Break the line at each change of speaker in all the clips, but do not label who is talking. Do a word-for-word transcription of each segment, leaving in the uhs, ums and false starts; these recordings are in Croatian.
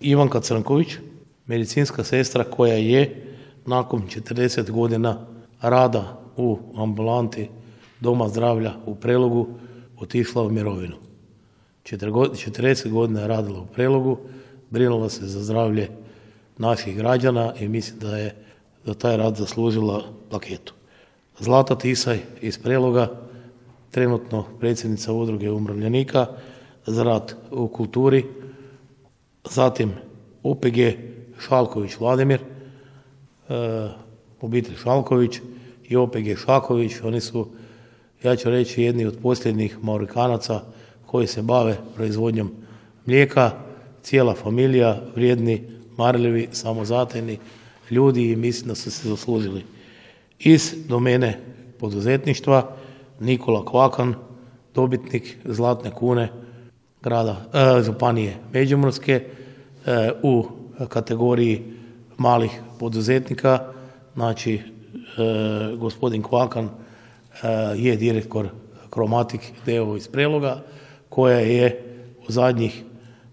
Ivanka Crnković, medicinska sestra koja je nakon četrdeset godina rada u ambulanti Doma zdravlja u Prelogu otišla u mirovinu. četrdeset godina je radila u Prelogu, brinula se za zdravlje naših građana i mislim da je za taj rad zaslužila plaketu. Zlata Tisaj iz Preloga, trenutno predsjednica Udruge umirovljenika za rad u kulturi, zatim O P G Šalković Vladimir, e, obitelj Šalković i O P G Šaković, oni su, ja ću reći, jedni od posljednjih Maurikanaca koji se bave proizvodnjom mlijeka, cijela familija, vrijedni, marljivi, samozatajni ljudi i mislim da su se zaslužili. Iz domene poduzetništva Nikola Kvakan, dobitnik Zlatne kune grada, e, županije Međimurske e, u kategoriji malih poduzetnika. Znači, e, gospodin Kvakan e, je direktor Kromatik d o o iz Preloga, koja je u zadnjih,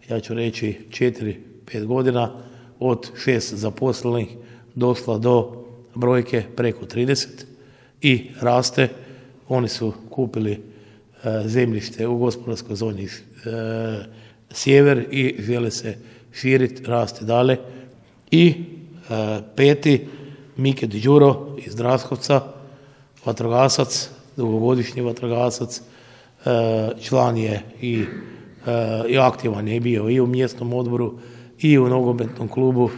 ja ću reći, četiri pet godina od šest zaposlenih došla do brojke preko trideset i raste. Oni su kupili e, zemljište u gospodarskoj zoni e, sjever i žele se širiti, rasti dalje. I e, peti, Mike Đuro iz Draskovca, vatrogasac, dugogodišnji vatrogasac, e, član je i, e, i aktivan je bio i u mjesnom odboru i u nogometnom klubu